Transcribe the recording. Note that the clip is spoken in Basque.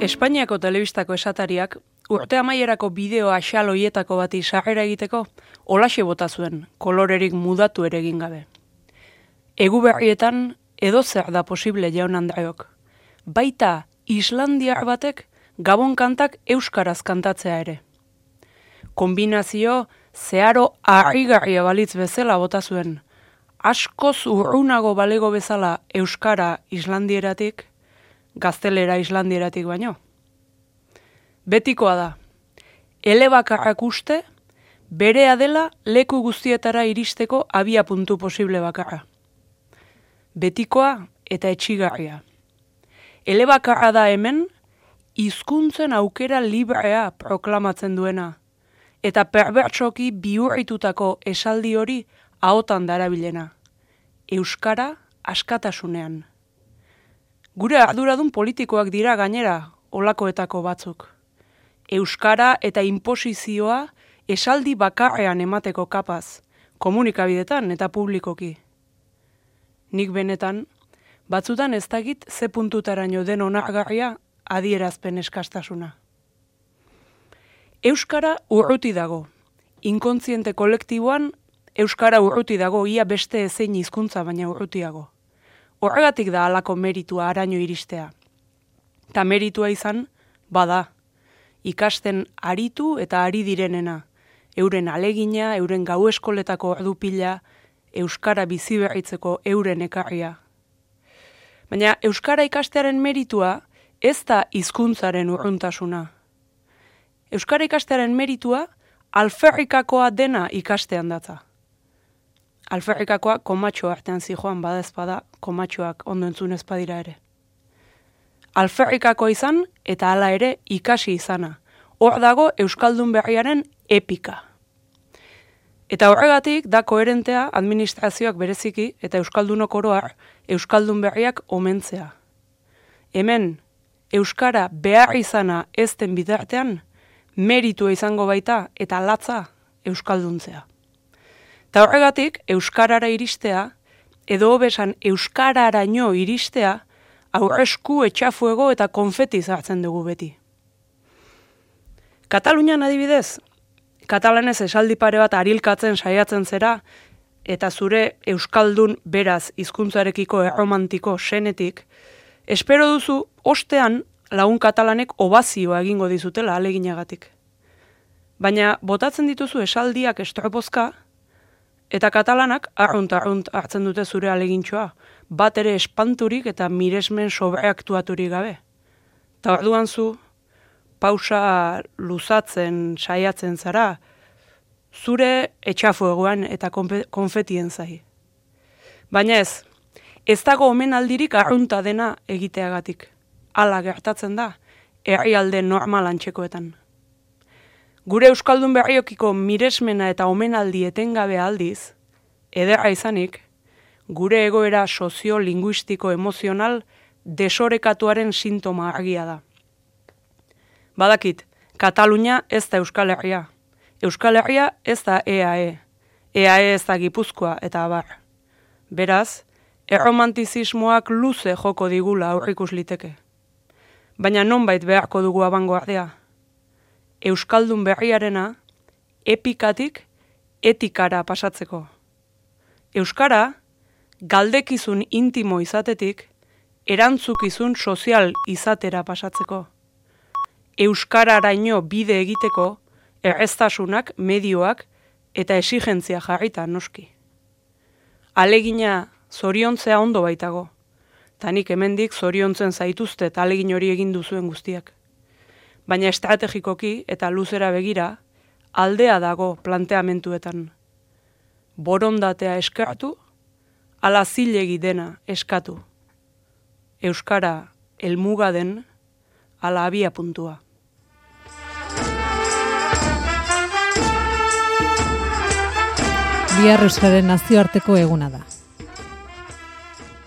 Espainiako telebistako esatariak urte amaierako bideo axal hoietako bati sarrera egiteko holaxe bota zuen, kolorerik mudatu ere egin gabe. Egu berrietan edozer da posible jaun Andreok. Baita islandiar batek gabon kantak euskaraz kantatzea ere. Kombinazio zeharo harrigarria balitz bezala bota zuen. Askoz urrunago balego bezala euskara islandieratik, gaztelera islandieratik baino. Betikoa da, elebakarrak uste, berea dela leku guztietara iristeko abia puntu posible bakarra. Betikoa eta etxigarria. Elebakarra da hemen, hizkuntzen aukera librea proklamatzen duena, eta perbertsoki bihurritutako esaldi hori ahotan darabilena. Euskara askatasunean. Gure arduradun politikoak dira gainera olakoetako batzuk. Euskara eta inposizioa esaldi bakarrean emateko kapaz, komunikabidetan eta publikoki. Nik benetan, batzutan ez dakit ze puntutaraino den onargarria adierazpen eskastasuna. Euskara urruti dago. Inkontziente kolektiboan euskara urruti dago, ia beste ezein hizkuntza baina urrutiago. Horregatik da halako meritua araño iristea. Ta meritua izan, bada, ikasten aritu eta ari direnena, euren alegina, euren gau eskoletako ordupila, euskara biziberritzeko euren ekarria. Baina euskara ikastearen meritua ez da hizkuntzaren urruntasuna. Euskara ikastearen meritua alferrikakoa dena ikastean datza. Alferrikakoa komatxo artean zijoan bada ezpada, komatxoak ondo entzun ezpadira ere. Alferrikakoa izan eta hala ere ikasi izana. Hor dago Euskaldun berriaren epika. Eta horregatik da koherentea administrazioak bereziki eta Euskaldunok oroar Euskaldun berriak omentzea. Hemen, Euskara behar izana ez den bitartean, meritua izango baita eta latza Euskalduntzea. Eta horregatik, Euskarara iristea, edo hobesan Euskararaino iristea, aurresku, etxafuego eta konfeti zartzen dugu beti. Katalunian adibidez, katalanez esaldi pare bat arilkatzen saiatzen zera, eta zure Euskaldun beraz hizkuntzarekiko erromantiko senetik, espero duzu ostean lagun katalanek obazioa egingo dizutela aleginagatik. Baina botatzen dituzu esaldiak estropozka, eta katalanak arrunt hartzen dute zure alegintxoa, bat ere espanturik eta miresmen sobreaktuaturik gabe. Ta orduan zu, pausa luzatzen saiatzen zara, zure etxafuegoan eta konfetien zai. Baina ez dago omenaldirik arrunta dena egiteagatik. Hala gertatzen da, herrialde normalan txekoetan. Gure Euskaldun berriokiko miresmena eta omenaldi etengabe aldiz, ederra izanik, gure egoera sozio-linguistiko-emozional desorekatuaren sintoma argia da. Badakit, Katalunia ez da Euskal Herria. Euskal Herria ez da EAE. EAE ez da Gipuzkoa eta abar. Beraz, erromantizismoak luze joko digula aurrikus liteke. Baina nonbait beharko dugu abangoardea. Euskaldun berriarena epikatik etikara pasatzeko. Euskara, galdekizun intimo izatetik, erantzukizun sozial izatera pasatzeko. Euskararaino bide egiteko, erreztasunak, medioak eta exigentzia jarrita noski. Alegina zoriontzea ondo baitago, tanik hemendik zoriontzen zaituztet alegin hori egin duzuen guztiak. Baina estrategikoki eta luzera begira, aldea dago planteamentuetan. Borondatea eskertu, ala zilegi dena eskatu. Euskara helmuga den, ala abia puntua. Bihar Euskararen nazioarteko eguna da.